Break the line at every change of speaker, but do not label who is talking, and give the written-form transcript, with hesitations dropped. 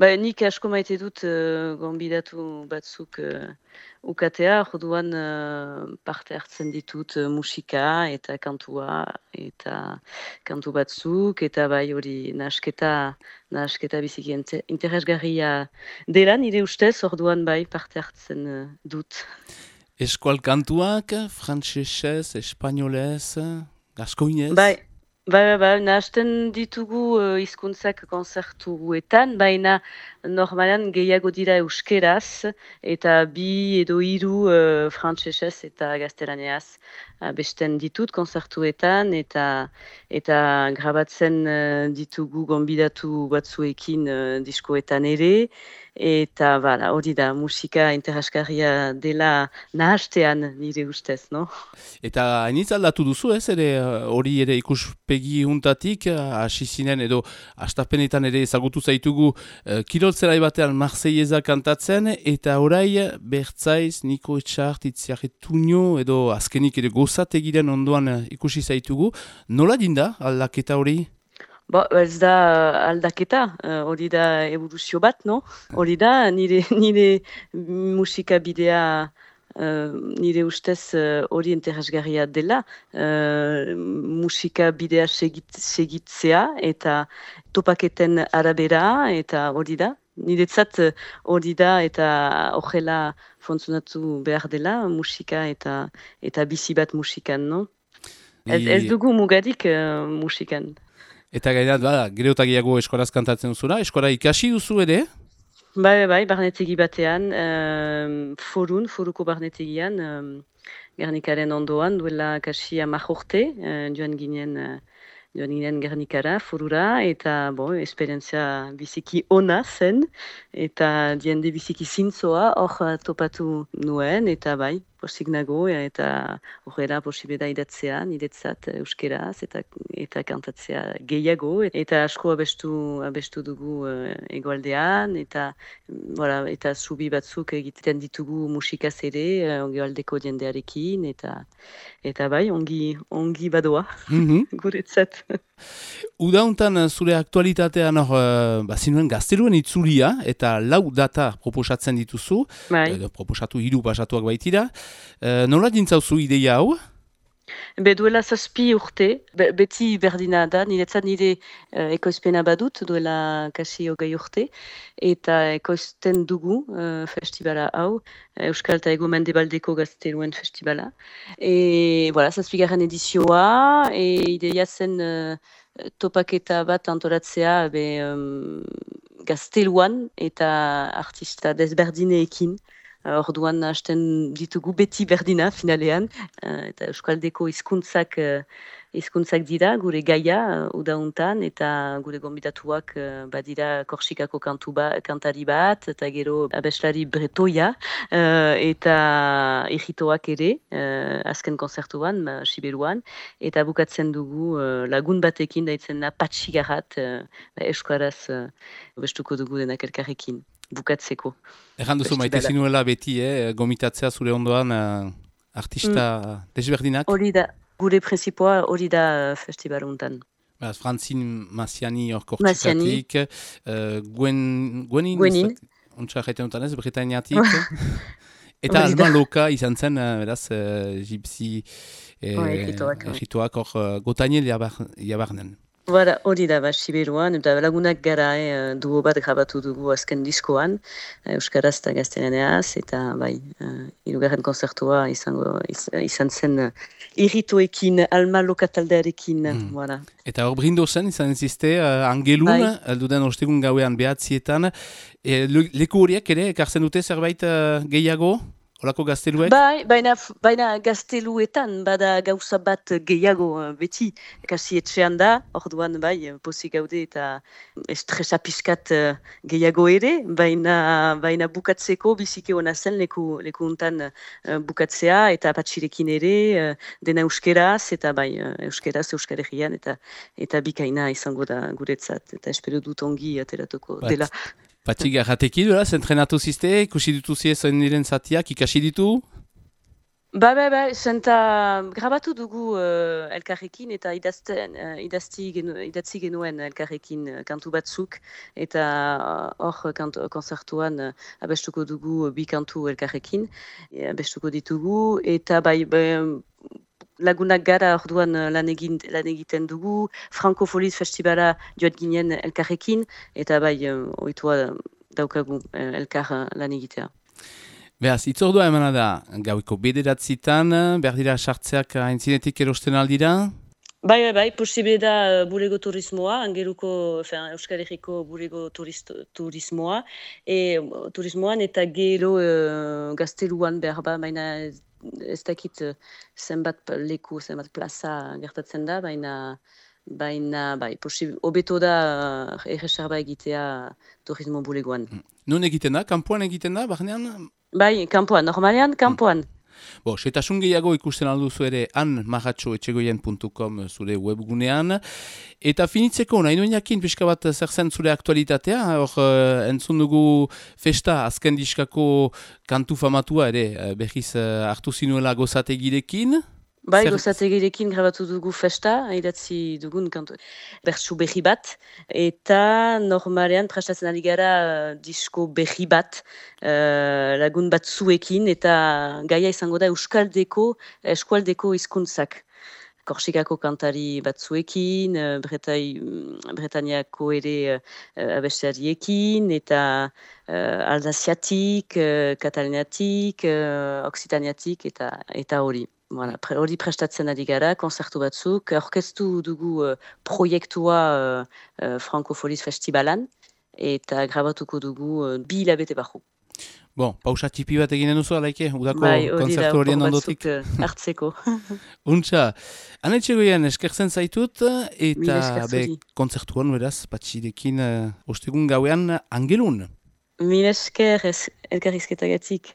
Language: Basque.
Nik asko maite dut gonbidatu batzuk ukatea, orduan parte hartzen ditut musika eta kantua eta kantu batzuk, eta bai hori nahasketa biziki interesgarria dela nire ustez, orduan bai parte hartzen dut.
Eskual kantuak, frantsesez, espainolez, gaskoinez?
Bai, nahasten ditugu hizkuntzak konzertuetan, baina normalan gehiago dira euskeraz, eta bi edo hiru frantsesez eta gaztelaniaz abesten ditut konzertuetan, eta grabatzen ditugu gonbidatu batzuekin diskoetan ere, eta hori da, musika interesgarria dela nahastean nire ustez, no?
Eta hainitz aldatu duzu ez, ere hori ere ikuspegi juntatik, hasi zinen edo astapenetan ere ezagutu zaitugu kiroltzerai batean Marseilleza kantatzen, eta orai Bertzaiz, Niko Etxart, Itziarre Tuño, edo azkenik ere gozategiren ondoan ikusi zaitugu. Nola dinda aldaketa hori?
Ez da aldaketa, hori da evoluzio bat, no? Hori da, nire musika bidea nire ustez hori interesgarria dela, musika bidea segitzea eta topaketen arabera, eta hori da. Niretzat hori da eta horrela funtzionatu behar dela musika eta bizi bat musikan, no? Ez dugu mugadik musikan.
Eta gairat, gero eta gehiago eskoraz kantatzen duzula, eskora ikasi duzu ere?
Bai, barnetegi batean, foruko barnetegian, Gernikaren ondoan, duela kasi 10 urte, joan ginen Gernikara, forura, eta esperientzia biziki ona zen, eta diende biziki zintzoa hor topatu nuen, eta bai, posik nago, eta horrela posible da idatzea, niretzat euskeraz, eta kantatzea gehiago, eta asko abestu dugu egoaldean, eta zubi batzuk egiten ditugu musikaz ere, egoaldeko jendearekin, eta bai, ongi badoa, guretzat.
Udauntan zure aktualitatean zinuen gazteluen itzulia, eta 4 data proposatzen dituzu, proposatu 3 pasatuak baitira. Nola dintzauzu ideia hau?
Duela 7 urte, beti berdina da, niretzat nire ekoizpena badut, duela kasi 20 urte, eta ekoizten dugu festibala hau, Euskal eta Ego Mendebaldeko Gazteluen Festibala. 7. edizioa, ideia zen topaketa bat antolatzea gazteluan eta artista desberdineekin. Orduan hasten ditugu beti berdina finalean, eta Euskaldeko hizkuntzak dira gure gaia udauntan, eta gure gonbidatuak badira Korsikako kantari bat, eta gero abeslari bretoia, eta egitoak ere, azken konzertuan, Siberuan, eta bukatzen dugu lagun batekin daitzen patxigarat, euskaraz bestuko dugu denak elkarrekin. Bukatzeko.
Egan duzu maite zinuela beti, gomitatzea zure ondoan artista desberdinak?
Hori da, gure prinsipoa hori da festivaluntan.
Frantzin Massiani hor Kortsikatik, Gwenin, ontsa jaiten dutan ez, Bretainiatik, eta alman loka izan zen, beraz, gypsy egitoak hor Gotainel jabarnen.
Hori da, Siberuan, eta lagunak gara duo bat grabatu dugu azken diskoan, Euskaraz eta Gaztelaniaz, eta hirugarren konzertua izan zen irritoekin, alma lokataldearekin.
Eta hor brindozen izan ziste, angelun, alduden ostegun gauean behatzietan, leku horiek ere, ekartzen dute zerbait gehiago? Olako gazteluek?
Baina gazteluetan, bada gauza bat gehiago beti, kasi etxean da, orduan pozik gaude eta estresa pixkat gehiago ere, baina bukatzeko biziki hona zen leku untan bukatzea, eta patxirekin ere, dena euskeraz, eta euskeraz, Euskal Herrian, eta bikaina izango da guretzat, eta espero dut ongi ateratuko dela.
Patxik erratekin, entrenatu ziste, ikusi dituzie zoen niren zatiak, ikasi ditu?
senta grabatu dugu elkarrekin eta idatzi genuen elkarrekin kantu batzuk eta hor konzertuan abestuko dugu bi kantu elkarrekin, abestuko ditugu eta lagunak gara orduan lan egiten dugu, Frankofoliz festibala joat ginen elkarrekin eta oitua daukagu elkar lan egitea.
Beaz, itzordua emana da, gauiko bederatzitan, behar dira sartzeak aintzinetik erosten aldira?
Posible da bulego turismoa, angeluko, Euskal Herriko bulego turismoa, turismoan eta gero gazteluan behar baina ez dakit zenbat leku, zenbat plaza gertatzen da, baina hobeto da erreserba egitea turismo bulegoan.
Nun egiten da? Kanpoan egiten da, barnean?
Kanpoan, normalean, kanpoan.
Setasun gehiago ikusten alduzu ere anmahatxoetxegoien.com zure webgunean. Eta finitzeko, nahi nuen jakin pixka bat zer zen zure aktualitatea. Entzun dugu festa azken diskako kantu famatua ere behiz hartu zinuela gozategirekin.
Gozategirekin grabatu dugu festa, idatzi dugun kantu bertsu berri bat, eta normalean prestatzen ari gara disko berri bat lagun batzuekin, eta gaia izango da eskualdeko hizkuntzak. Korsikako kantari batzuekin, Bretaniako ere abesariekin, eta Alsaziatik, Kataliniatik, Oksitaniatik, eta hori. Hori prestatzen ari gara, konzertu batzuk, orkestu dugu proiektua Frankofoliz festibalan, eta grabatuko dugu 2 hilabete barru.
Pausa txipi bat eginen duzu, alaike, udako konzertu horien ondotik.
Hartzeko.
Untxa, Anetxegoien eskertzen zaitut, eta konzertuan, beraz, patxidekin ostegun gauean angelun.
Mil esker elkarrizketagatik.